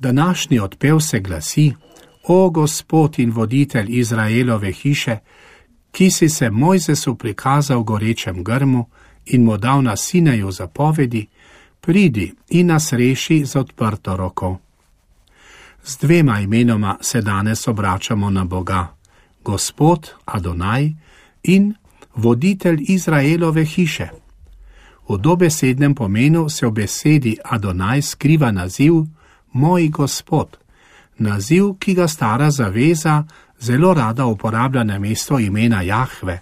Današnji odpev se glasi: O Gospod in voditelj Izraelove hiše, ki si se Mojzesu prikazal v gorečem grmu in mu dal na Sinaju zapovedi, pridi in nas reši z odprto roko. Z dvema imenoma se danes obračamo na Boga, Gospod Adonaj in voditelj Izraelove hiše. V dobesednem pomenu se v besedi Adonaj skriva naziv Moj Gospod, naziv, ki ga stara zaveza zelo rada uporablja na mesto imena Jahve.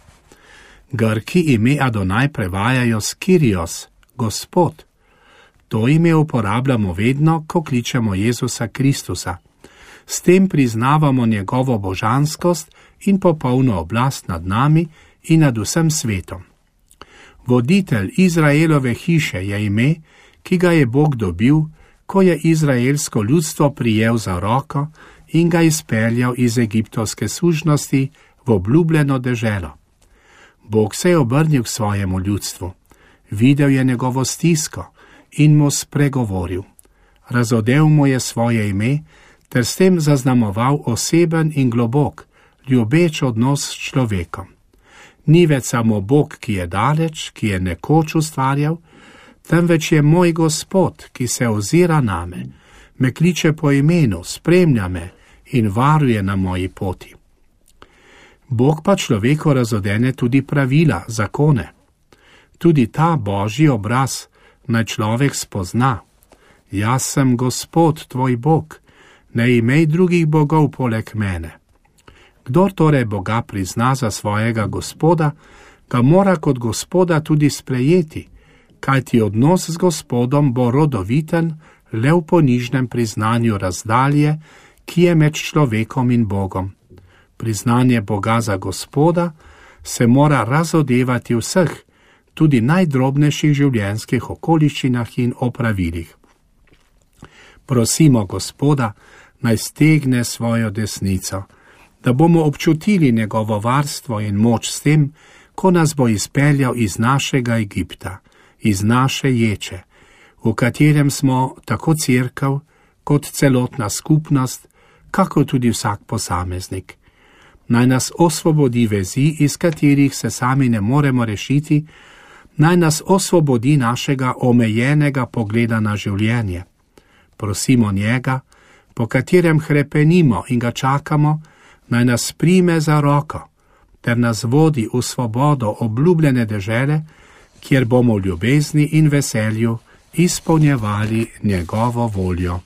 Grki ime Adonaj prevajajo s Kyrios, Gospod. To ime uporabljamo vedno, ko kličemo Jezusa Kristusa. S tem priznavamo njegovo božanskost in popolno oblast nad nami in nad vsem svetom. Voditelj Izraelove hiše je ime, ki ga je Bog dobil, ko je izraelsko ljudstvo prijel za roko in ga izpeljal iz egiptovske sužnosti v obljubljeno deželo. Bog se je obrnil k svojemu ljudstvu, videl je njegovo stisko in mu spregovoril. Razodel mu je svoje ime ter s tem zaznamoval oseben in globok, ljubeč odnos s človekom. Ni več samo Bog, ki je daleč, ki je nekoč ustvarjal, temveč je moj Gospod, ki se ozira name, me kliče po imenu, spremlja me in varuje na moji poti. Bog pa človeku razodene tudi pravila, zakone. Tudi ta božji obraz naj človek spozna. Jaz sem Gospod, tvoj Bog, ne imej drugih bogov poleg mene. Kdor torej Boga prizna za svojega Gospoda, ga mora kot Gospoda tudi sprejeti, kajti odnos z Gospodom bo rodoviten le v ponižnem priznanju razdalje, ki je med človekom in Bogom. Priznanje Boga za Gospoda se mora razodevati vseh, tudi najdrobnejših življenjskih okoliščinah in opravilih. Prosimo Gospoda, naj stegne svojo desnico, da bomo občutili njegovo varstvo in moč s tem, ko nas bo izpeljal iz našega Egipta, iz naše ječe, v katerem smo tako cerkev kot celotna skupnost, kako tudi vsak posameznik. Naj nas osvobodi vezi, iz katerih se sami ne moremo rešiti, naj nas osvobodi našega omejenega pogleda na življenje. Prosimo njega, po katerem hrepenimo in ga čakamo, naj nas prime za roko, ter nas vodi v svobodo obljubljene dežele, kjer bomo v ljubezni in veselju izpolnjevali njegovo voljo.